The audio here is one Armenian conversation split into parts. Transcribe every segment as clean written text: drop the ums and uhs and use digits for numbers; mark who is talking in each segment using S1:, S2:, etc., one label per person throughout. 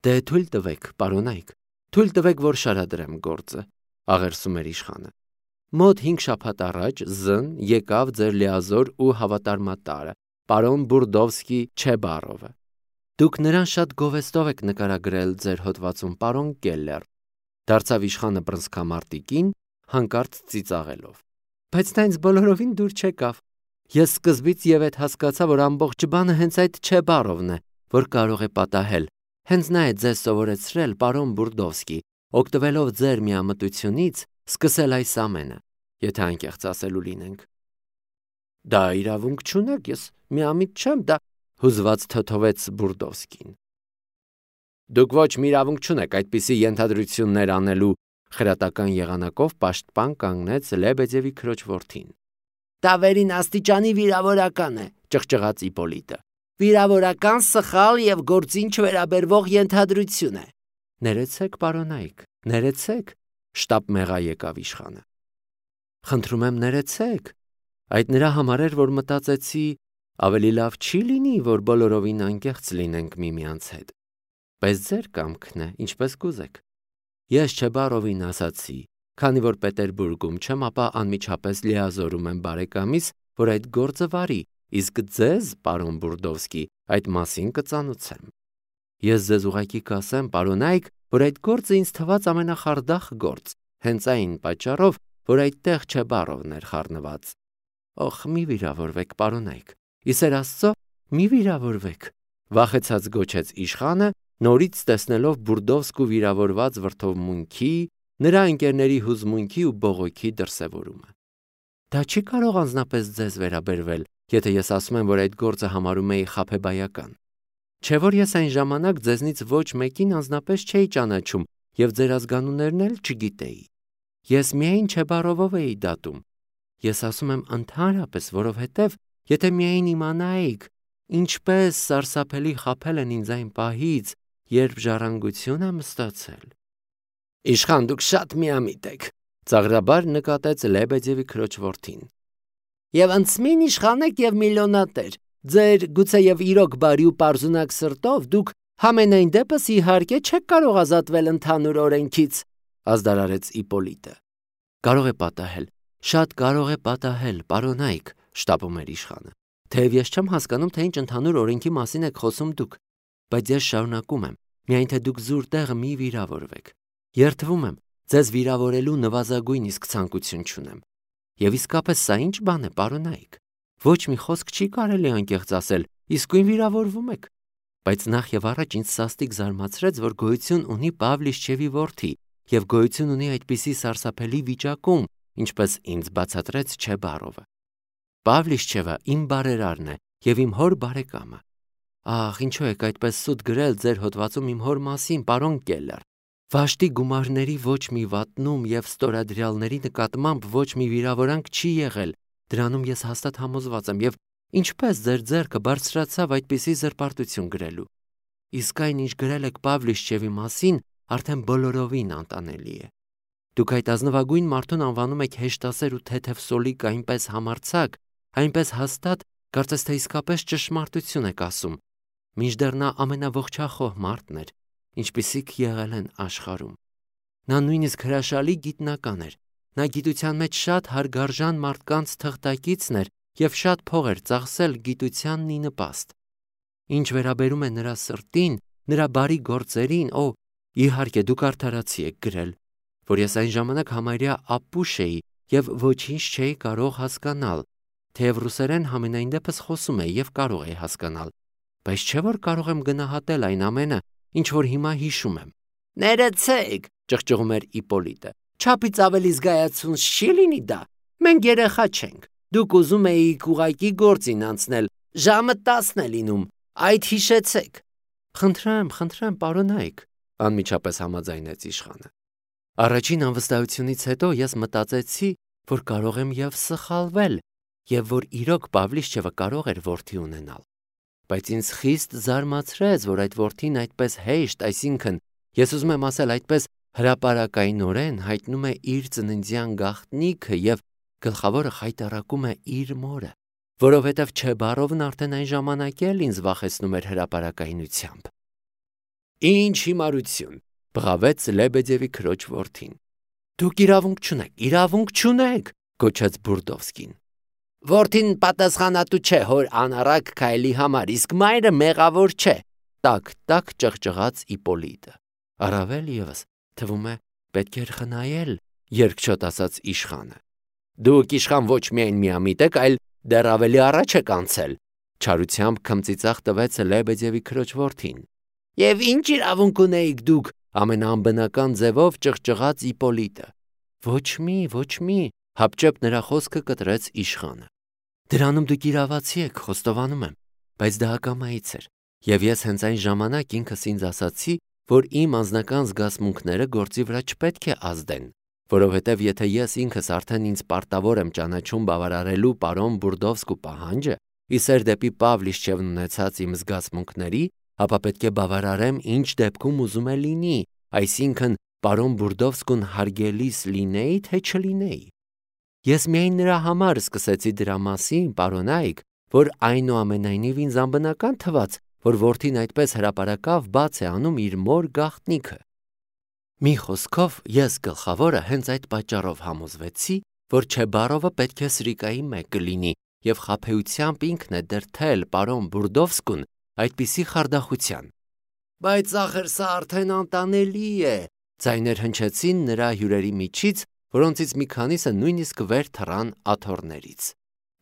S1: Դե թույլ տվեք, պարոնայք, թույլ տվեք, որ շարադրեմ գործը, աղերսում էր իշխանը։ Մոտ 5 շաբաթ առաջ եկավ ձեր լիազոր ու հավատարմատարը, պարոն Բուրդովսկի Չեբարովը։ Դուք նրան շատ գովեստով եք նկարագրել ձեր հոդվածում, պարոն Կելլեր, դարձավ իշխանը բռնցքամարտիկին, հանկարծ ծիծաղելով։ Բայց նա ինձ բոլորովին դուր չեկավ։ Ես սկզբից եւ այդ հասկացա, որ ամբողջ բանը հենց այդ Չեբարովն է, որ կարող է պատահել։ Հենց նա է ձեզ սովորեցրել, պարոն Բուրդովսկի, օգտվելով ձեր միամտությունից, սկսել այս ամենը, եթե անկեղծ ասելու լինենք։ Դա իրավունք չունեք, ես միամիտ չեմ, դա հուզված թոթովեց Բուրդովսկին։ Դուք ոչ մի իրավունք չունեք այդպիսի ենթադրություններ անելու, խրատական եղանակով պաշտպան կանգնեց Լեբեդևի քրոջ որդին։ Դա վերին աստիճանի վիրավորական է, ճղճղաց Իպոլիտը։ Վիրավորական, սխալ եւ գործին չվերաբերվող ենթադրություն է։ Ներեցեք, պարոնայք, ներեցեք, շտապ մեղա եկավ իշխանը։ Խնդրում եմ, ներեցեք։ Այդ նրա համար էր, որ մտածեցի, ավելի լավ չի լինի, որ բոլորովին անկեղծ լինենք միմյանց հետ։ Բայց ձեր կամքն է, ինչպես կուզեք։ Ես Չեբարովին ասացի, քանի որ Պետերբուրգում չեմ, ապա անմիջապես լիազորում եմ բարեկամիս, որ այդ գործը վարի, իսկ ձեզ, պարոն Բուրդովսկի, այդ մասին կծանուցեմ։ Ես ձեզ ուղղակի կասեմ, պարոնայք, որ այդ գործը ինձ թվաց ամենախարդախ գործ, հենց այն պատճառով, որ այդտեղ Չեբարովն էր խառնված։ Օխ, մի վիրավորվեք, պարոնայք, իսեր Աստծո, մի վիրավորվեք, վախեցած գոչեց իշխանը, նորից տեսնելով Բուրդովսկու վիրավորված վրդովմունքի, նրա ընկերների հուզմունքի ու բողոքի դրսևորումը։ Դա չի կարող անձնապես ձեզ վերաբերվել, եթե ես ասում եմ, որ այդ գործը համարում էի խաբեբայական։ Չէ՞ որ ես այն ժամանակ ձեզնից ոչ մեկին անձնապես չէի ճանաչում եւ ձեր ազգանուններն էլ չգիտեի։ Ես միայն Չեբարովով էի դատում։ Ես ասում եմ ընդհանրապես, որովհետեւ եթե միայն իմանայիք, ինչպես սարսափելի խաբել են ինձ այն պահից, երբ ժառանգություն եմ ստացել։ Իշխան, դուք շատ միամիտ եք, ծաղրաբար նկատեց Լեբեդևի քրոջ որդին։ Եվ անցմին իշխան եք եւ միլիոնատեր, ձեր գուցեև իրոք բարի ու պարզունակ սրտով դուք համենայն դեպս իհարկե չեք կարող ազատվել ընդհանուր օրենքից, ազդարարեց Իպոլիտը։ Կարող է պատահել, շատ կարող է պատահել, պարոնայք, շտապում էր իշխանը։ Թեև ես չեմ հասկանում, թե ինչ ընդհանուր օրենքի մասին եք խոսում դուք, բայց ես շարունակում եմ, միայն թե դուք զուր տեղը մի վիրավորվեք։ Երդվում եմ, ձեզ վիրավորելու նվազագույն իսկ ցանկություն չունեմ։ Եվ իսկապես սա ինչ բան է, պարոնայք։ Ոչ մի խոսք չի կարելի անկեղծ ասել, իսկույն վիրավորվում եք։ Բայց նախ եւ առաջ ինձ սաստիկ զարմացրեց, որ գոյություն ունի Պավլիշչևի որդի եւ գոյություն ունի այդպիսի սարսափելի վիճակում, ինչպես ինձ բացատրեց Չեբարովը։ Պավլիշչևը իմ բարերարն է եւ իմ հոր բարեկամը։ Ահ, ինչու եք այդպես սուտ գրել ձեր հոդվածում իմ հոր մասին, պարոն Կելլեր։ Վաշտի գումարների ոչ մի վատնում եւ ստորադրյալների նկատմամբ ոչ մի վիրավորանք չի եղել, դրանում ես հաստատ համոզված եմ եւ ինչպես ձեր ձեռքը բարձրացավ այդպիսի զրպարտություն գրելու։ Իսկ այն, ինչ գրել եք Պավլիշչևի մասին, արդեն բոլորովին անտանելի է։ Դուք այդ ազնվագույն մարդուն անվանում եք հեշտասեր ու թեթև սոլիկ այնպես համարձակ, այնպես հաստատ, կարծես թե իսկապես ճշմարտություն եք ասում, մինչդեռ նա ամենաողջախոհ մարդն էր, ինչպիսիք եղել են աշխարհում։ Նա նույնիսկ հրաշալի գիտնական էր, նա գիտության մեջ շատ հարգարժան մարդկանց թղթակիցն էր եւ շատ փող էր ծախսել գիտությանն ի նպաստ։ Ինչ վերաբերում է նրա սրտին, նրա բարի գործերին, իհարկե դուք արդարացի եք գրել, որ ես այն ժամանակ համարյա ապուշ էի եւ ոչինչ չէի կարող հասկանալ, թեև ռուսերեն համենայն դեպս խոսում էի եւ կարող էի հասկանալ, բայց չէ որ կարող եմ գնահատել այն ամենը, ինչ որ հիմա հիշում եմ։ Ներեցեք, ճղճղում էր Իպոլիտը։ Չափից ավելի զգայացուն չի լինի դա։ Մենք երեխա չենք։ Դուք ուզում էիք ուղակի գործին անցնել, ժամը 10 է լինում, այդ հիշեցեք։ Խնդրեմ, պարոնայք, անմիջապես համաձայնեց իշխանը։ Առաջին անվստահությունից հետո ես մտածեցի, որ կարող եմ եւ սխալվել, եւ որ իրոք Պավլիշչևը կարող էր որդի ունենալ։ Բայց ինձ խիստ զարմացրեց, որ այդ որդին այդպես հեշտ, այսինքն, ես ուզում եմ ասել այդպես հրապարակայնորեն հայտնում է իր ծննդյան գաղտնիքը եւ գլխավորը խայտառակում է իր մորը, որովհետեւ Չեբարովն արդեն այն ժամանակ էլ ինձ վախեցնում էր հրապարակայնությամբ։ Ինչ հիմարություն, բղավեց Լեբեդևի քրոջ որդին։ Դուք իրավունք չունեք, գոչեց Բուրդովսկին։ Որդին պատասխանատու չէ հոր անառակ քայլի համար, իսկ մայրը մեղավոր չէ, տակ ճղճղաց Իպոլիտը։ Առավել ևս, թվում է, պետք էր խնայել, երկչոտ ասաց իշխանը։ Դուք իշխան ոչ միայն միամիտ եք, այլ դեռ ավելի առաջ եք անցել, չարությամբ քմծիծաղ տվեց Լեբեդևի քրոջ որդին։ Եվ ինչ իրավունք ունեիք դուք, ամենաանբնական ձևով ճղճղաց Իպոլիտը։ Ոչ մի, հապճեպ նրա խոսքը կտրեց իշխանը։ Դրանում դուք իրավացի եք, խոստովանում եմ, բայց դա ակամայից էր, եւ ես հենց այն ժամանակ ինքս ինձ ասացի, որ իմ անձնական զգացմունքները գործի վրա չպետք է ազդեն, որովհետև եթե ես ինքս արդեն ինձ պարտավոր եմ ճանաչում բավարարելու պարոն Բուրդովսկու պահանջը, իսեր դեպի Պավլիշչևն ունեցած իմ զգացմունքների, ապա պետք է բավարարեմ ինչ դեպքում ուզում է լինի, այսինքն պարոն Բուրդովսկուն հարգելիս լինեի, թե չլինեի։ Ես միայն նրա համար սկսեցի դրա մասին, պարոնայք, որ այնուամենայնիվ ինձ անբնական թվաց, որ որդին այդպես հրապարակավ բաց է անում իր մոր գաղտնիքը։ Մի խոսքով ես գլխավորը հենց այդ պատճառով համոզվեցի, որ Չեբարովը պետք է Սրիկայի մեկը լինի եւ խաբեությամբ ինքն է դրթել պարոն Բուրդովսկուն այդպիսի խարդախության։ Բայց ախր սա արդեն անտանելի է, ձայներ հնչեցին նրա հյուրերի միջից, որոնցից մի քանիսը նույնիսկ վեր թռան աթոռներից։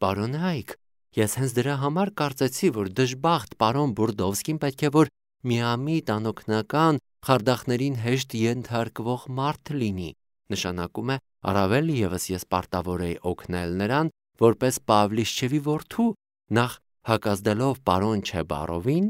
S1: Պարոնայք, ես հենց դրա համար կարծեցի, որ դժբախտ պարոն Բուրդովսկին պետք է որ միամիտ անօգնական խարդախներին հեշտ ենթարկվող մարդ լինի, նշանակում է առավել ևս ես պարտավոր էի օգնել նրան որպես Պավլիշչևի որդու, նախ հակազդելով պարոն Չեբարովին,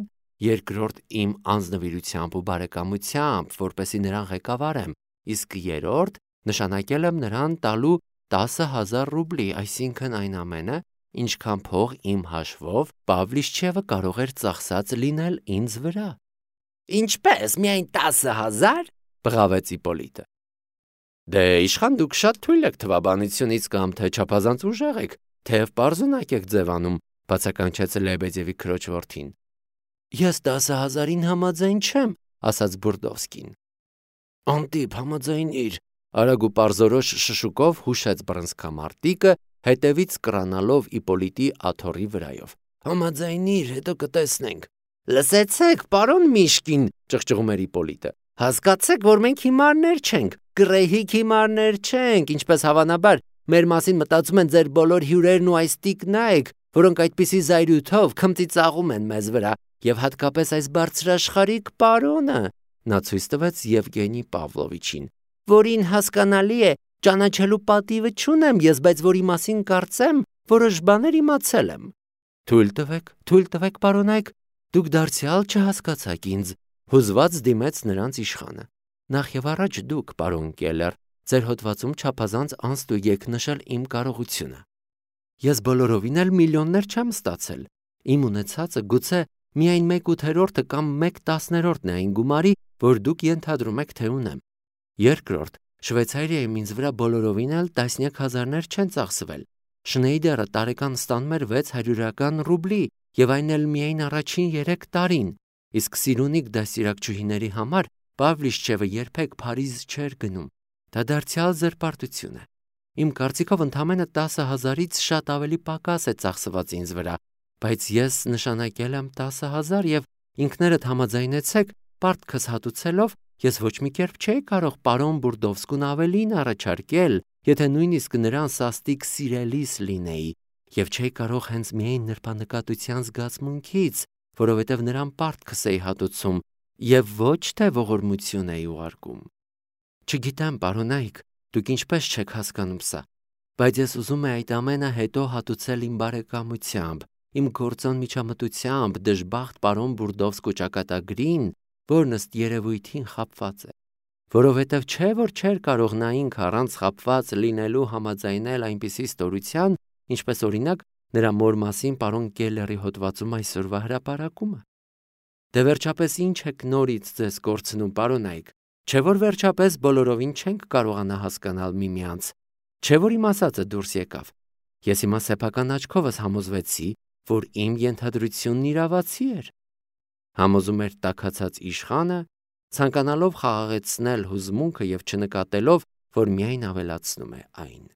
S1: երկրորդ իմ անձնվիրությամբ ու բարեկամությամբ, որպեսի նրան ղեկավարեմ, իսկ երրորդ նշանակել եմ նրան տալու 10,000 ռուբլի, այսինքն այն ամենը, ինչքան փող իմ հաշվով Պավլիշչևը կարող էր ծախսած լինել ինձ վրա։ Ինչպես, միայն 10,000, բղավեց Իպոլիտը։ Դե իշխան դուք շատ թույլ եք թվաբանությունից կամ թե չափազանց ուժեղ եք, թեև պարզունակ եք ձևանում, բացականչեց Լեբեդևի քրոջ որդին։ Ես 10,000-ին համաձայն չեմ, ասաց Բուրդովսկին։ Անտիպ համաձայնիր, արագ ու պարզորոշ շշուկով հուշեց բռնցքամարտիկը, հետևից կռանալով Իպոլիտի աթոռի վրայով։ Համաձայնիր, հետո կտեսնենք։ Լսեցեք, պարոն Միշկին, ճղճղում էր Իպոլիտը։ Հասկացեք, որ մենք հիմարներ չենք, գռեհիկ հիմարներ չենք, ինչպես հավանաբար մեր մասին մտածում են ձեր բոլոր հյուրերն ու այս տիկնայք, որոնք այդպիսի զայրույթով քմծիծաղում են մեզ վրա, եւ հատկապես այս բարձրաշխարհիկ պարոնը, նա ցույց տվեց Եվգենի Պավլովիչին, որին հասկանալի է, ճանաչելու պատիվը չունեմ ես, բայց որի մասին կարծեմ, որոշ բաներ իմացել եմ։ Թույլ տվեք, պարոնայք, դուք դարձյալ չհասկացաք ինձ, հուզված դիմեց նրանց իշխանը։ Նախ եւ առաջ դուք, պարոն Կելեր, ձեր հոդվածում չափազանց անստույգ եք նշել իմ կարողությունը։ Ես բոլորովին էլ միլիոններ չեմ ստացել։ Իմ ունեցածը գուցե միայն 1/8 կամ 1/10 է այն գումարի, որ դուք ենթադրում եք, թե ունեմ։ Երկրորդ, Շվեյցարիայում ինձ վրա բոլորովին էլ տասնյակ հազարներ չեն ծախսվել։ Շնեյդերը տարեկան ստանում էր 600 ռուբլի, եւ այն էլ միայն առաջին 3 տարին, իսկ սիրունիկ դաստիարակչուհիների համար Պավլիշչևը երբեք Փարիզ չէր գնում։ Դա դարձյալ զրպարտություն է։ Իմ կարծիքով ընդամենը 10,000-ից շատ ավելի պակաս է ծախսված ինձ վրա, բայց ես նշանակել եմ 10,000 եւ ինքներդ համաձայնեցեք, պարտքս հատուցելով, ես ոչ մի կերպ չէի կարող պարոն Բուրդովսկուն ավելին առաջարկել, եթե նույնիսկ նրան սաստիկ սիրելիս լինեի, եւ չէի կարող հենց միայն նրբանկատության զգացմունքից, որովհետեւ նրան պարտքս էի հատուցում եւ ոչ թե ողորմություն էի ուղարկում։ Չգիտեմ, պարոնայք, դուք ինչպես չեք հասկանում սա, բայց ես ուզում եմ այդ ամենը հետո հատուցել իմ բարեկամությամբ, իմ գործոն միջամտությամբ դժբախտ պարոն Բուրդովսկու ճակատագրին, որն ըստ երևույթին խաբված է, որովհետև չէ որ չէր կարող նա ինքը առանց խաբված լինելու համաձայնել այնպիսի ստորության, ինչպես օրինակ նրա մոր մասին պարոն Կելերի հոդվածում այսօրվա հրապարակումը։ Դե վերջապես ինչ եք նորից ձեզ կորցնում, պարոնայք, չէ որ վերջապես բոլորովին չենք կարողանա հասկանալ միմյանց, չէ որ իմ ասածը դուրս եկավ։ Ես հիմա սեփական աչքովս համոզվեցի, որ իմ ենթադրությունն իրավացի էր։ Համոզում էր տաքացած իշխանը ցանկանալով խաղաղեցնել հուզմունքը եւ չնկատելով, որ միայն ավելացնում է այն։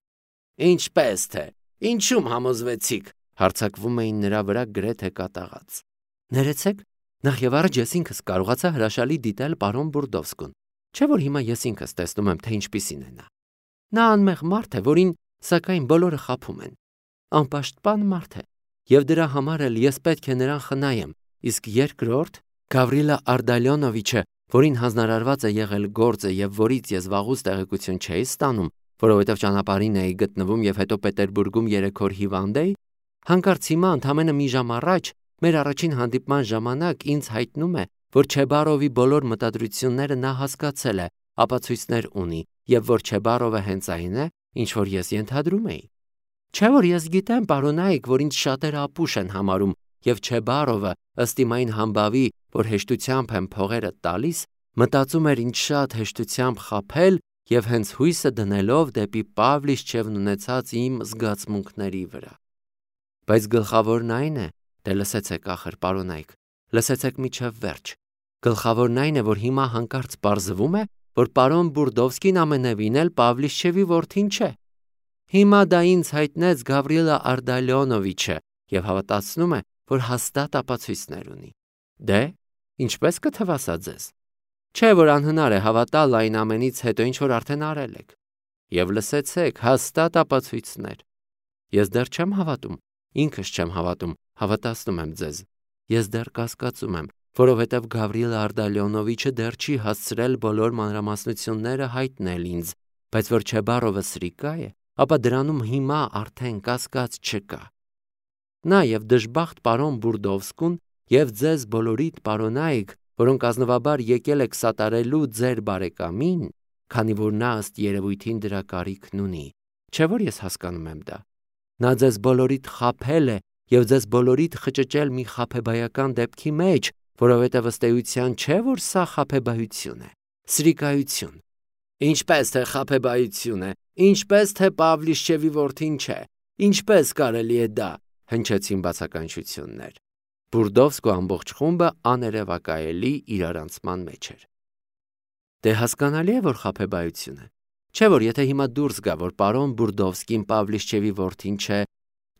S1: Ինչպես թե, ինչու՞մ համոզվեցիք, հարձակվում էին նրա վրա գրեթե կատաղած։ Ներեցեք, նախ եւ առաջ ես ինքս կարողացա հրաշալի դիտել պարոն Բուրդովսկուն, չէ՞ որ հիմա ես ինքս տեսնում եմ, թե ինչպիսին է նա։ Նա անմեղ մարդ է, որին սակայն բոլորը խաբում են։ Անպաշտպան մարդ է, եւ դրա համար էլ ես պետք է նրան խնայեմ, իսկ երկրորդ Գավրիլա Արդալյոնովիչը, որին հանձնարարված է եղել գործը եւ որից ես վաղուց տեղեկություն չէի ստանում, որովհետեւ ճանապարհին էի գտնվում եւ հետո Պետերբուրգում 3 օր հիվանդ էի, հանկարծ հիմա ընդամենը մի ժամ առաջ մեր առաջին հանդիպման ժամանակ ինձ հայտնում է, որ Չեբարովի բոլոր մտադրությունները նա հասկացել է, ապացույցներ ունի եւ որ Չեբարովը հենց այն է, ինչ որ ես ենթադրում էի։ Չէ՞ որ ես գիտեմ, պարոնայք, որ ինձ շատերը ապուշ են համարում եւ Չեբարովը, ըստ իմ այն համբավի, որ հեշտությամբ եմ փողերը տալիս, մտածում էր ինձ շատ հեշտությամբ խաբել եւ հենց հույսը դնելով դեպի Պավլիչչևն ունեցած իմ զգացմունքների վրա։ Բայց գլխավորն այն է, դե լսեցեք ախր, պարոնայք, լսեցեք միջև վերջ։ Գլխավորն այն է, որ հիմա հանկարծ պարզվում է, որ պարոն Բուրդովսկին ամենևին էլ Պավլիչչևի որդին չէ։ Հիմա դա ինձ հայտնեց Գավրիլա Արդալյոնովիչը եւ հավատացնում է, որ հաստատ ապացույցներ ունի։ Դե, ինչպես կթվա սա ձեզ։ Չէ՞ որ անհնար է հավատալ այն ամենից հետո ինչ որ արդեն արել եք։ Եվ լսեցեք, հաստատ ապացույցներ։ Ես դեռ չեմ հավատում, ինքս չեմ հավատում, հավատացնում եմ ձեզ։ Ես դեռ կասկածում եմ, որովհետև Գավրիլա Արդալյոնովիչը դեռ չի հասցրել բոլոր մանրամասնությունները հայտնել ինձ, բայց որ Չեբարովը սրիկա է, ապա դրանում հիմա արդեն կասկած չկա։ Նա եւ դժբախտ պարոն Բուրդովսկուն եւ ձեզ բոլորիդ պարոնայք, որոնք ազնվաբար եկել եք սատարելու ձեր բարեկամին, քանի որ նա ըստ երևույթին դրա կարիքն ունի, չէ՞ որ ես հասկանում եմ դա։ Նա ձեզ բոլորիդ խաբել է եւ ձեզ բոլորիդ խճճել մի խաբեբայական դեպքի մեջ, որովհետև ըստ էության չէ որ սա խաբեբայություն է, սրիկայություն։ Ինչպես թե խաբեբայություն է, ինչպես թե Պավլիչչևի որդին չէ, ինչպես կարելի է դա, հնչեցին բացականչություններ։ Բուրդովսկու ամբողջ խումբը աներևակայելի իրարանցման մեջ էր։ Դե հասկանալի է, որ խաբեբայություն է։ Չէ որ եթե հիմա դուրս գա, որ պարոն Բուրդովսկին Պավլիչչևի որդին չէ,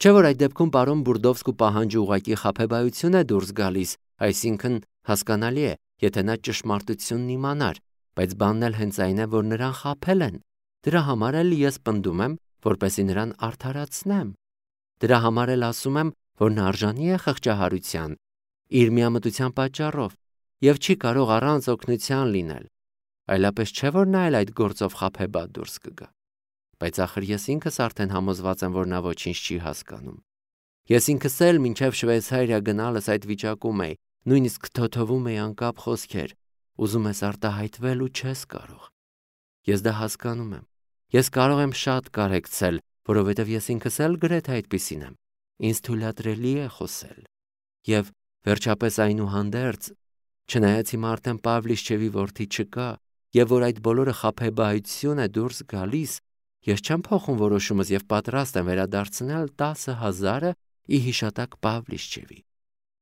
S1: չէ որ այդ դեպքում պարոն Բուրդովսկու պահանջը ուղղակի խաբեբայություն է դուրս գալիս, այսինքն հասկանալի է, եթե նա ճշմարտությունն իմանար, բայց բանն էլ հենց այն է, որ նրան խաբել են։ Դրա համար էլ ես պնդում եմ, որպեսզի նրան արդարացնեմ։ Դրա համար էլ ասում եմ, որ նա արժանի է խղճահարության, իր միամտության պատճառով, եւ չի կարող առանց օգնության լինել։ Այլապես չէ որ նա էլ այդ գործով խաբեբա դուրս կգա։ Բայց ախր ես ինքս արդեն համոզված եմ, որ նա ոչինչ չի հասկանում։ Ես ինքս էլ մինչև Շվեյցարիա գնալս այդ վիճակում էի, նույնիսկ թոթովում էի անկապ խոսքեր, ուզում ես արտահայտվել ու չես կարող։ Ես դա հասկանում եմ։ Ես կարող եմ շատ կարեկցել, որովհետև ես ինքս էլ գրեթե այդպիսին եմ։ Ինձ թույլատրելի է խոսել։ Եվ վերջապես այնուհանդերձ, չնայած հիմա արդեն Պավլիչչևի որդի չկա, եւ որ այդ բոլորը խաբեբայություն է դուրս գալիս, ես չեմ փոխում որոշումս եւ պատրաստ եմ վերադարձնել 10,000-ը ի հիշատակ Պավլիչչևի։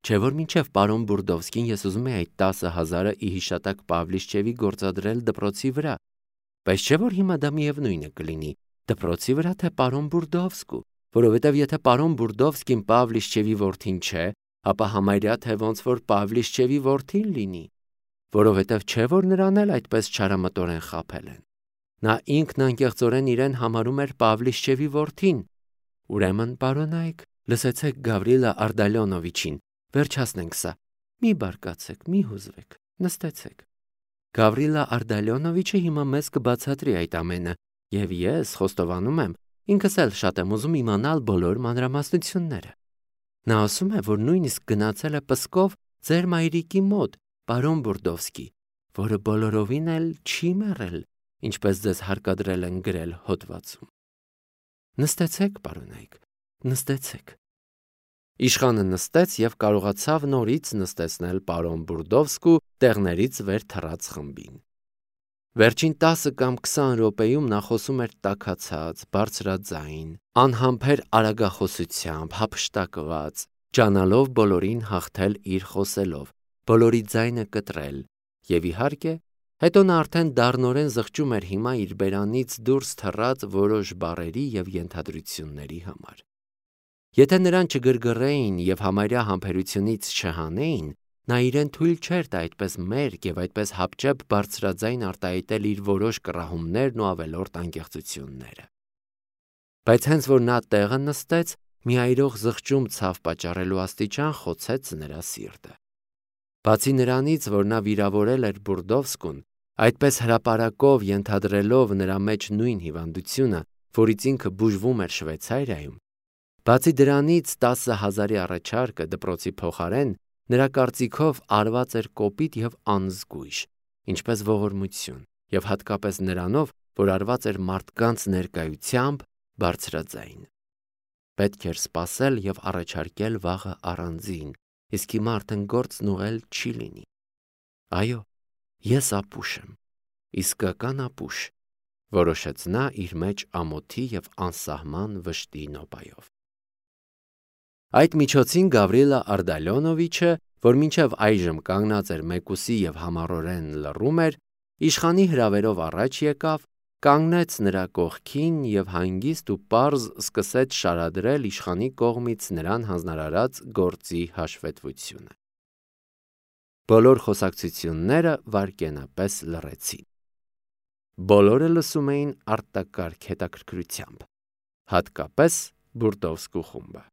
S1: Չէ որ մինչև պարոն Բուրդովսկին ես ուզում եի այդ 10,000-ը ի հիշատակ Պավլիչչևի գործադրել դպրոցի վրա, բայց չէ որ հիմա դա միևնույնը կլինի դպրոցի վրա թե պարոն Բուրդովսկու, որովհետև եթե պարոն Բուրդովսկին Պավլիչչևի որդին չէ, ապա համարյա թե ոնց որ Պավլիչչևի որդին լինի, որովհետև չէ որ նրան էլ այդպես չարամտորեն խաբել են։ Նա ինքն անկեղծորեն իրեն համարում էր Պավլիչչևի որդին։ Ուրեմն, պարոնայք, լսեցեք Գավրիլա Արդալյոնովիչին, վերջացնենք սա։ Մի բարկացեք, մի հուզվեք, նստեցեք։ Գավրիլա Արդալյոնովիչը հիմա մեզ կբացատրի այդ ամենը, եւ ես խոստովանում եմ, ինքս էլ շատ եմ ուզում իմանալ բոլոր մանրամասնությունները։ Նա ասում է, որ նույնիսկ գնացել է Պսկով ձեր մայրիկի մոտ, պարոն Բուրդովսկի, որը բոլորովին էլ չի մեռել, ինչպես ձեզ հարկադրել են գրել հոդվածում։ Նստեցեք, պարոնայք, նստեցեք։ Իշխանը նստեց եւ կարողացավ նորից նստեցնել պարոն Բուրդովսկու տեղներից վեր թռած խմբին։ Վերջին 10 կամ 20 րոպեում նա խոսում էր տաքացած, բարձրաձայն, անհամբեր արագախոսությամբ, հափշտակված, ջանալով բոլորին հաղթել իր խոսելով, բոլորի ձայնը կտրել, Եվ իհարկե, հետո նա արդեն դառնորեն զղջում էր հիմա իր բերանից դուրս թռած որոշ բառերի և ենթադրությունների համար։ Եթե նրան չգրգռեին և համարյա համբերությունից չհանեին, նա իրեն թույլ չէր տա այդպես մերկ և այդպես հապճեպ բարձրաձայն արտահայտել իր որոշ կռահումներն ու ավելորդ անկեղծությունները։ Բայց հենց որ նա տեղը նստեց, մի այրող զղջում ցավ պատճառելու աստիճան խոցեց նրա սիրտը։ Բացի նրանից, որ նա վիրավորել էր Բուրդովսկուն, այդպես հրապարակով ենթադրելով նրա մեջ նույն հիվանդությունը, որից ինքը բուժվում էր Շվեյցարիայում, բացի դրանից 10,000-ի առաջարկը դպրոցի փոխարեն նրա կարծիքով արված էր կոպիտ և անզգույշ, ինչպես ողորմություն, և հատկապես նրանով, որ արված էր մարդկանց ներկայությամբ բարձրաձայն։ Պետք էր սպասել և առաջարկել վաղը առանձին, իսկ հիմա արդեն գործն ուղղել չի լինի։ Այո, ես ապուշ եմ, իսկական ապուշ, որոշեց նա իր մեջ ամոթի և անսահման վշտի նոպայով։ Այդ միջոցին Գավրիլա Ардալյոնովիչը, որ մինչև այժմ կանգնած էր մեկուսի և համառորեն լռում էր, իշխանի հրավերով առաջ եկավ, կանգնեց նրա կողքին և հանգիստ ու պարզ սկսեց շարադրել իշխանի կողմից նրան հանձնարարած գործի հաշվետվությունը։ Բոլոր խոսակցությունները վայրկենապես լռեցին։ Բոլորը լսում էին արտակարգ հետաքրքրությամբ, հատկապես Բուրդովսկու խումբը։